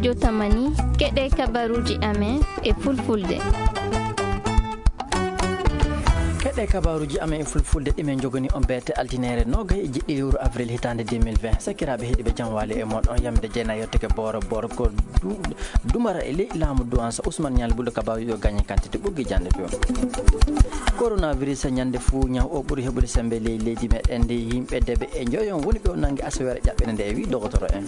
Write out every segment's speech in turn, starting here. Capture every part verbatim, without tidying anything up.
Jotamani, keɗe kabaruuji amen e fulfulde. Keɗe kabaruuji amen e fulfulde ɗi men njogani on beete altineere noogay e jeɗɗi lewru avril hitaande deux mille vingt. Sakiraaɓe heɗiiɓe, jam waali e mon. On yamde jeena yottake booro booro ko du-, dumara e ley laamu duwansa Ousmane Niang Bullo, kabaruuji o gañe kantite ɓoggi jande to. Coronavirus ñande fuu ñaw o ɓuri heɓude sembe ley leydi meɗen ndi. Yimɓe debe e njoyon woni ɓe o nangi asaweere ƴaɓɓende nde, e wi dogotoro en.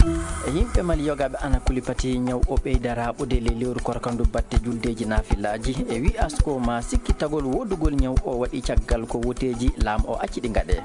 E yimɓe Mali yogaaɓe ana kuli pati ñaw o ɓeyda raaɓude ley lewru korkandu batte juldeeji naafilaaji. E wi asko ma sikki tagol woodugol ñaw o waɗi caggal ko woteeji laamu o acci ɗi ngaɗe.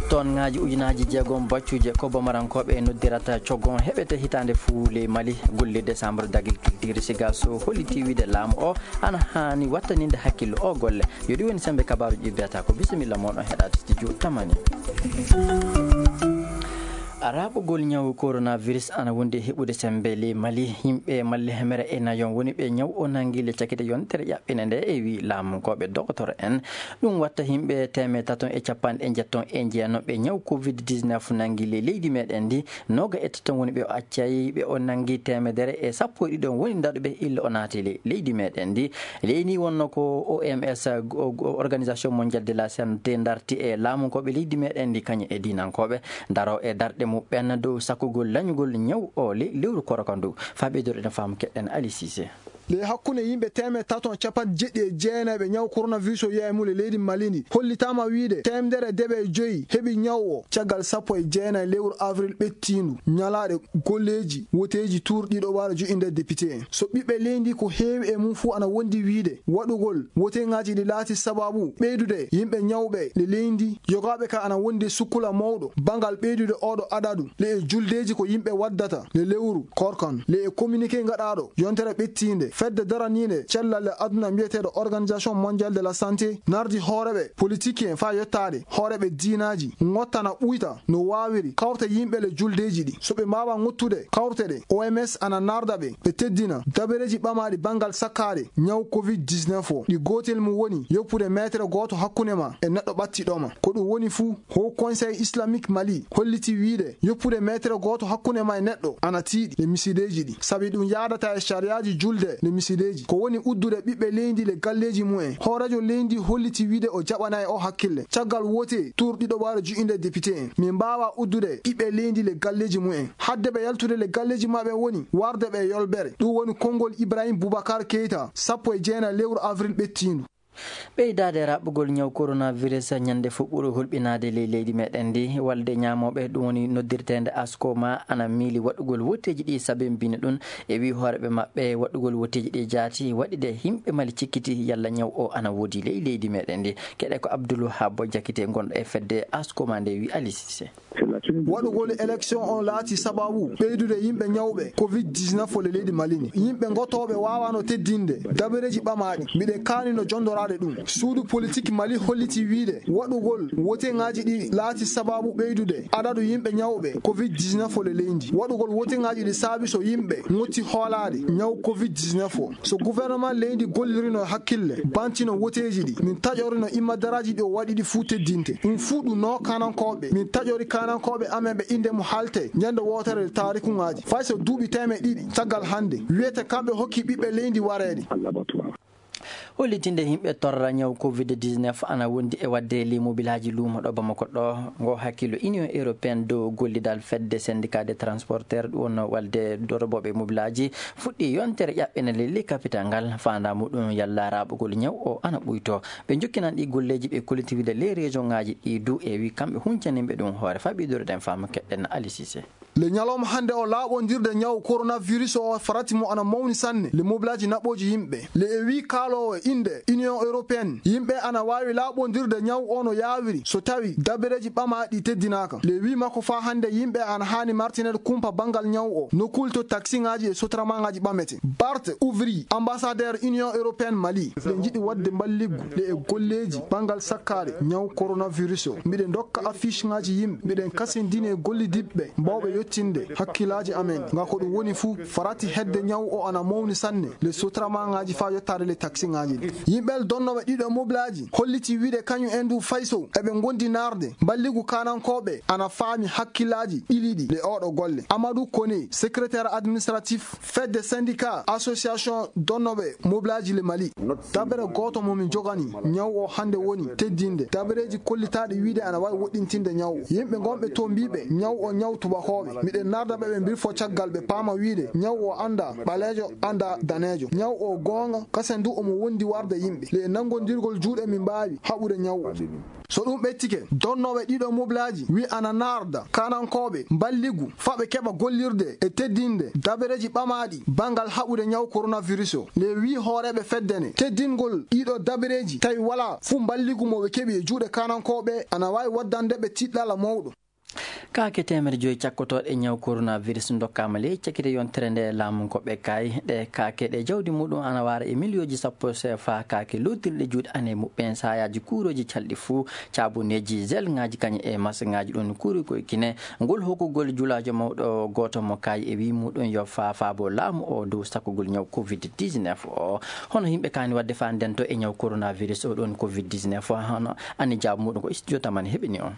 Toon ŋaaji ujunaaji jeegom baccuje ko Bamarankooɓe noddirata cogon heɓete hitaande fuu ley Mali. Golle décembre d'agriculture Sigaso holliti wiide laamu o ana haani wattaninde hakkillo o golle. Yo ɗi woni sembe kabaaruji ɗi mbiyata ko bisimilla mon on heɗaade studio Tamani. Raɓɓugol ñawu coronavirus ana wondi e heɓude sembe ley Mali. Yimɓe Mali hemere e nayon woni ɓe ñaw o nangi le cakite yontere ƴaɓɓine nde e wi laamu ko ɓe dogotoro en. Ɗum watta yimɓe teemeɗɗe tato e capanɗe njetton e jeenom ɓe ñaw covid dix-neuf nangi ley leydi meɗen ndi. Nooga e tati woni ɓe o accay, ɓe o nangi teemedere e sappo e ɗiɗo woni ndaɗuɓe illa o naati le-, leydi meɗen ndi. Leydi wonno ko O M S, o-, o-, Organisation Mondiale de la Santé, darti e laamunkooɓe leydi meɗen ndi, kañum e diinankooɓe, daro e darɗe muɓɓen dow sakkugol lañugol ñaw o le-, lewru korka ndu. Faa ɓeydoro ene faamu keɗen Ali Cissé. Ley hakkunde yimɓe teemedde tato capanɗe jeɗɗi e jeenayi ɓe ñaw coronavirus o yeeyi mum e leydi Mali ndi, hollitaama wiide teemedere e deɓe e joyi heɓi ñaw o caggal sappo e jeenayi lewru avril ɓettiindu, ñalaaɗe golleeji woteeji tuur ɗiɗo ɓaare joƴƴinde député en. So ɓiɓɓe leydi ko heewi e mum fuu ana wondi wiide waɗugol woteŋaaji ɗi laati sabaabu ɓeydude yimɓe ñawɓe le leydi, yogaaɓe ka ana wondi sukkula mawɗo banngal ɓeydude oɗo adadu le e juldeeji ko yimɓe waddata le lewru korkan. Le e communiqué gaɗaaɗo yontere ɓettiinde, fedde daraniinde cellal le aduna mbiyeteeɗo Organisation Mondiale de la Santé nardi hooreɓe politique en faa yottaade hooreɓe diinaaji, ngottana ɓuyta no waawiri kawrte yimɓe le juldeeji ɗi. So ɓe mbaawaa ngottude kawrte ɗe, O M S ana narda ɓe, ɓe teddina dabareeji ɓamaaɗi banngal sakkaade ñaw covid dix-neuf o. Ɗi gootel mum woni yoppude meetere gooto hakkunde ma e neɗɗo ɓattiɗo ma. Ko ɗum woni fuu, Haut Conseil Islamique Mali holliti wiide yoppude meetere gooto hakkunde ma e neɗɗo ana tiiɗi le misideeji ɗi, sabi ɗum yaadataa e sariyaaji julde le misideeji. Ko woni uddude ɓiɓɓe leydi le galleeji mumen. Hooreejo leydi holliti wiide o jaɓanaay o hakkille caggal wote tuur ɗiɗo ɓaare joƴƴinde député en. Min mbaawaa uddude ɓiɓɓe leydi le galleeji mumen. Hadde ɓe yaltude le galleeji maɓɓe woni warde ɓe yolbere. Ɗum woni konngol Ibrahim Boubacar Keita, sappo e jeenayi lewru avril ɓettiindu. Ɓeydaade raɓɓugol ñaw coronavirus ñande fof ɓuri hulɓinaade ley leydi meɗen ndi. Walde ñaamooɓe, ɗum woni noddirteende Askoma, ana miili waɗugol woteeji ɗi sabimbini ɗum. E wi hooreɓe maɓɓe, waɗugol woteeji ɗi jaati waɗi de yimɓe Mali cikkiti yalla ñaw o ana woodi ley leydi meɗen ndi. Keɗe ko Abdoul Wahab Jakite gonɗo e fedde Askoma nde wi Ali Cissé. Waɗugol élection on laati sababu ɓeydude yimɓe ñawɓe covid dix-neuf o le leydi Mali ndi. Yimɓe gotooɓe waawano teddinde dabareeji ɓamaaɗi. Miɗen kaanino jondoraade ɗum. Suudu politik Mali holliti wiide waɗugol woteŋaaji ɗi laati sababu ɓeydude adadu yimɓe ñawɓe covid dix-neuf o le leydi ndi. Waɗugol woteŋaaji ɗi saabi so yimɓe ngotti hoolaade ñaw covid dix-neuf o. So gouvernement leydi gollirino hakkille, bantino woteeji ɗi, min taƴorino immadaraaji ɗi o waɗi ɗi fuu teddinte. Ɗum fuu ɗum no kaanankooɓe. Min taƴori kaanankooɓe amen ɓe innde mum haalte ñande wootere e taarikuŋaaji. Fay so duuɓi teemeɗɗe ɗiɗi caggal hannde, wiyete kamɓe hokki ɓiɓɓe leydi wareede. Hollitinde yimɓe torra ñaw covid dix-neuf ana wondi e waɗde limobilaaji luumo ɗo Bamako ɗo. Ngo hakkillo Union Européenne dow gollidal fedde syndicat des transporteurs, ɗum wonno walde dorobooɓe mobilaaji, fuɗɗi yontere ƴaɓɓene lelli capital ngal. Faandaa muɗum yalla raɓugol ñaw o ana ɓuyto. Ɓe jokkinan ɗi golleeji ɓe kollitirde ley région ŋaaji ɗi du e wi kamɓe huncaniɓe ɗum hoore. Faa ɓiydoro ɗen faamu keɗɗen Ali Cissé. Le ñalawma hannde o laaɓondirde ñaw coronavirus o farati mo ana mawni sanne. Le mobilaaji naɓooji yimɓe. Le e wi kaaloowo innde Union Européenne, yimɓe ana waawi laaɓondirde ñaw o no yaawiri so tawi dabareeji ɓamaaɗi teddinaaka. Le wi makko faa hannde yimɓe ana haani martineede kumpa banngal ñaw o nokkuuli to taksiŋaaji e sotramaŋaaji ɓamete. Bart Ouvry, ambassadeur Union Européenne Mali. Ɓe njiɗi waɗde mballiggu le e golleeji banngal sakkaade ñaw coronavirus o. Miɗen ndokka affiche ŋaaji yimɓe. Miɗen kasindini e gollidiɓɓe mbawɓe yettinde hakkillaaji amen. Ngam ko ɗum woni fuu, farati hedde ñaw o ana mawni sanne le sotramaŋaaji faa yottaade le taksiŋaaji. Yimɓe donnooɓe ɗiɗo moblaaji holliti wiide kañum en du fayso eɓe ngondi naarde mballigu kaanankooɓe ana faami hakkillaaji ɓiliiɗi e oɗo golle. Amadou Koné, secrétaire administratif fedde syndicat association donnooɓe moblaaji le Mali. Dabere gooto mo min jogani ñaw o hannde woni teddinde dabereeji kollitaaɗi wiide ana waawi woɗɗintinde ñaw o. Yimɓe gonɓe to mbiiɓe ñaw o ñaw tubakooɓe. Miɗen narda ɓe ɓe mbirfo caggal ɓe paama wiide ñaw o annda ɓaleejo, annda daneejo. Ñaw o goonga kasen du omo wondi warde yimɓe. Le e nanngondirgol juuɗe min mbaawi haɓude ñaw o. So ɗum ɓettike, donnooɓe ɗiɗo moblaaji wi ana narda kaanankooɓe mballigu faa ɓe keɓa gollirde e teddinde dabereeji ɓamaaɗi banngal haɓude ñaw coronavirus o. Le wi hooreeɓe fedde ne, teddingol ɗiɗo dabereeji tawi walaa fuu mballigu mo ɓe keɓi e juuɗe kaanankooɓe ana waawi waddande ɓe tiɗɗala mawɗo. Kaake teemedde joyi cakkotooɗe ñaw coronavirus ndokkaama ley cakite yontere nde laamu ko ɓe kaay. Ɗe kaake ɗe jawdi muɗum ana waara e miliyooji sappo sefa kaake lootirɗe juuɗe ane muɓɓen saayaaji kuurooji calɗi fuu, caabuneeji, gelŋaaji kañum e masŋaaji ɗum kuuri koye Kine. Ngol hokkugol julaajo mawɗo gooto mo kaay e wii muɗum yo faa faabo laamu o dow sakkugol ñaw covid dix-neuf o. Hono yimɓe kaani waɗde faa ndento e ñaw coronavirus o ɗon covid dix-neuf o, hono ani jaabu muɗum ko studio tamani heɓini o.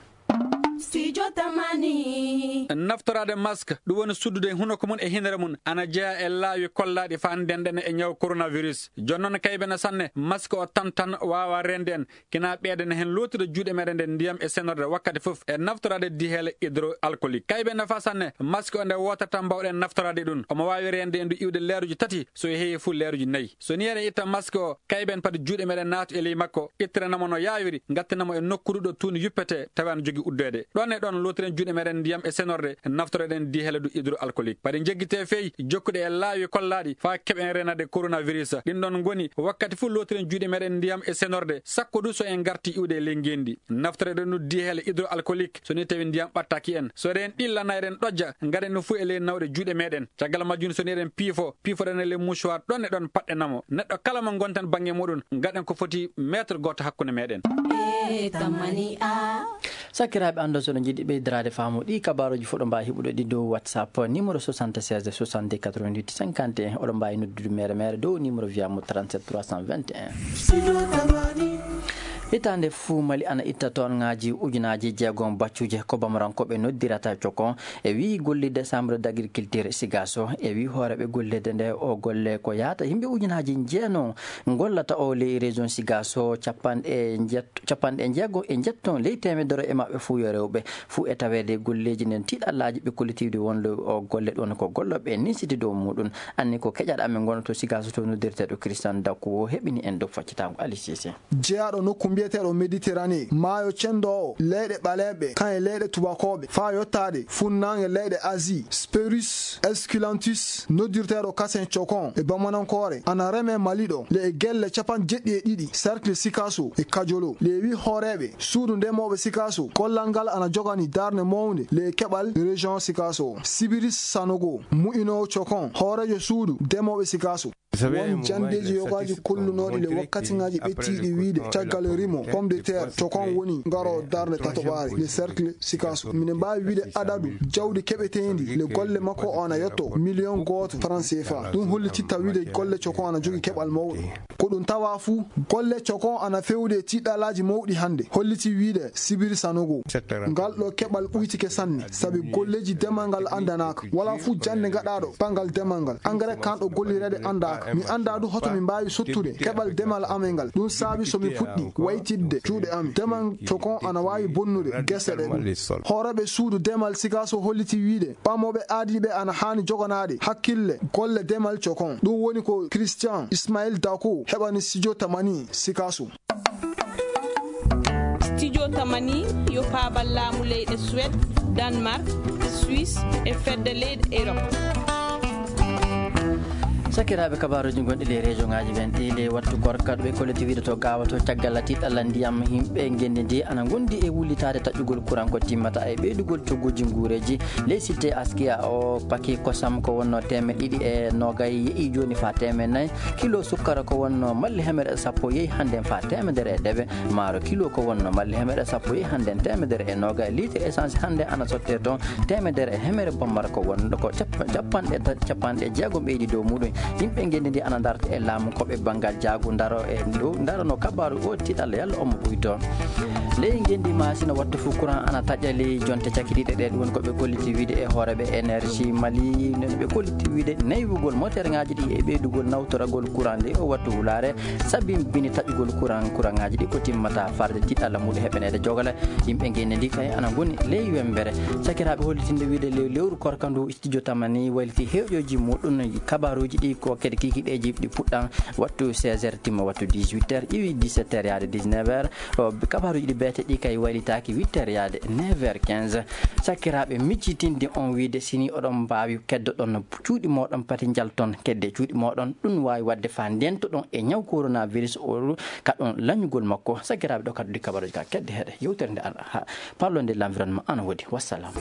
Studio Tamani. Naftoraade mask, ɗum woni suddude hunoko mum e hinere mum, ana jeyaa e laawi kollaaɗi faa ndenɗen e ñaw coronavirus. Jooni noon kaybe na sanne, mask o tan tan waawa reende en, kina ɓeydana heen lootude juuɗe meɗen nde ndiyam e senorde wakkati fof e naftoraade diheele hydroalcoolique. Kaybe nafa sanne, mask o nde wootere tan mbawɗen naftoraade ɗum. Omo waawi reende en du iwde leeruji tati, so heewi fof leeruji nayi. So nii eɗen itta mask o, kayben padi juuɗe meɗen naatu e ley makko, ittirana mo no yaawiri, ngattina mo e nokkuuru ɗo tuuni yuppete, tawa ana jogii uddeede. Ɗon e ɗon lootiren juuɗe meɗen ndiyam e senorde, naftoroɗen diheele du hydroalcoolique. Padi njeggitee fey, jokkude e laawi kollaaɗi faa keɓen reenaade coronavirus. Ɗin ɗon ngoni, wakkati fof lootiren juuɗe meɗen ndiyam e senorde, sakko du so en ngartii iwde e ley ngeenndi. Naftoroɗen du diheele hydroalcoolique, so nii tawi ndiyam ɓattaaki en. So eɗen ɗillana eɗen ɗojja, ngaɗen ɗum fof e ley nawɗe juuɗe meɗen. Caggal majjum, so nii eɗen piifo, piifoɗen e ley mouchoir ɗon e ɗon paɗɗen mo. Neɗɗo kala mo ngonten bannge muɗum, ngaɗen ko foti mètre gooto hakkunde meɗen. E tamani a. Sakiraaɓe, anndo so oɗon njiɗi ɓeydiraade faamu ɗi kabaaruuji fof, oɗon mbaawi heɓude ɗi dow WhatsApp, numéro soixante-seize soixante-deux quatre-vingt-huit cinquante et un. Oɗon mbaawi noddude mere mere dow numéro via mo trente-sept trois cent vingt et un. Hitaande fuu Mali ana itta toonŋaaji ujunaaji jeegom baccuuje ko Bamarankooɓe noddirata cokon. E wii gollirde Chambre d'agriculture Sigaso, e wii hooreeɓe gollirde nde o golle ko yahata yimɓe ujunaaji jeenom gollata o ley région Sigaso, capanɗe njeet-, capanɗe jeego e njeetto ley teemedere e maɓɓe fuu yo rewɓe. Fuu e taweede golleeji nden tiiɗallaaji ɓe kollitiiɗi wonde o golle ɗon ko gollooɓe ninsiti dow muɗum. Anni ko keƴaɗo amen gonɗo to Sigaso to noddirteeɗo Christian Daku o heɓini en dow faccitaango Ali Sise. Jeyaaɗo nokku mbiyeteeɗo Méditerranée, maayo cenndoowo leyɗe ɓaleeɓe, kañum e leyɗe tubakooɓe, faa yottaade funnaange leyɗe Asie, Spirus esculentus, noddirteeɗo kasen cokon e bamanankoore, ana reme Mali ɗo, le e gelle capanɗe jeɗɗi e ɗiɗi, cercle Sikaso e Kajolo. Le wi hooreeɓe suudu ndemooɓe Sikaso, kollal ngal ana jogani darnde mawnde le e keɓal région Sikaso. Sibiris Sanogo, mu'inoowo cokon, hooreejo suudu ndemooɓe Sikaso. Won janndeeji yogaaji kollunooɗi le wakkatiŋaaji ɓettiiɗi wiide caggal rimo pomme de terre cokon woni ngaroo darnde tatoɓaare le cercle Sikaso. Mine mbaawi wiide adadu jawdi keɓeteendi le golle makko o ana yotto million gooto franc C F A. Ɗum hollititta wiide golle cokon ana jogii keɓal mawɗo. Ko ɗum tawa fuu, golle cokon ana fewde e tiiɗalaaji mawɗi hannde, holliti wiide Sibiri Sanogo. Ngal ɗo keɓal ɓuytike sanne, sabi golleeji demal ngal anndanaaka. Walaa fuu jannde gaɗaaɗo banngal demal ngal. Engrais kanɗo gollireede anndaaka. Mi anndaa du hoto mi mbaawi sottude keɓal demal amen ngal. Ɗum saabi so mi fuɗɗi waytidde juuɗe am. Demal cokon ana waawi bonnude gese ɗe ɗum. Hooreeɓe suudu demal Sikaso holliti wiide ɓamooɓe aadiiɓe ana haani joganaade hakkille golle demal cokon. Ɗum woni ko Christian Ismail Dako heɓani Studio Tamani Sikaso. Studio Tamani yo paabal laamu leyɗe Suède, Danemark, Suisse e fedde leyɗe Europe. Sakiraaɓe, kabaaruuji gonɗi ley région ŋaaji ɓen ɗi ley wattu gorka ɗo ɓe kolliti wiide to Gaawa to caggal tiiɗalla ndiyam, yimɓe ngenndi ndi ana ngondi e wullitaade taƴƴugol kuran ko timmata e ɓeydugol cogguuji nguureeji. Ley sitte Askia o paki kosam ko wonno teemeɗɗe ɗiɗi e noogay yehi jooni faa teemeɗɗe nayi. Kilo sukkara ko wonno malli hemere sappo yehi hannden faa teemedere e dewe. Maaro kilo ko wonno malli hemere sappo yehi hannden teemedere e noogay. Litre essence hannde ana sottee toon teemedere e hemere bommara ko wonno ko cap-, capanɗe ta-, capanɗe jeegom ɓeydi dow muɗum. Yimɓe ngenndi ndi ana ndarta e laamu ko ɓe banngal jaagu ndaro e dow ndarano kabaaru o tiɗalla yalla omo ɓuyto. Ley ngenndi maasina wattu fuu courant ana taƴali jonte cakitiiɗe ɗe ɗum woni ko ɓe kolliti wiide e hooreeɓe énergie mali no ɓe kolliti wiide naywugol moterŋaaji ɗi e ɓeydugol nawtoragol courant nde o wattu wulaare sabi bini taƴugol courant courantŋaaji ɗi ko timmata farde tiɗalla muɗum heɓaneede jogale. Yimɓe ngenndi ndi kay ana ngoni ley wembere. Sakiraaɓe hollitinde wiide ley lewru korka ndu studio tamani wayliti heewƴooji muɗum kabaaruuji ɗi ko kadi kikiɗeeji ɗi puɗɗan wattu seize heures timma wattu dix-huit heures iwi dix-sept heures yaade dix-neuf heures. Kabaaruuji ɗi beete ɗi kay waylitaaki huit heures yaade neuf heures quinze. Sakiraaɓe miccitinde on wiide sini oɗon mbaawi keddoɗon cuuɗi mooɗon pati njalton kedde cuuɗi mooɗon ɗum waawi waɗde faa ndentoɗon e ñaw coronavirus o kaɗon lañugol makko. Sakiraaɓe ɗo kadduɗi kabaruuji ka kedde heɗe yewtere nde ara ha parlo nde l'environnement ana woodi wassalam.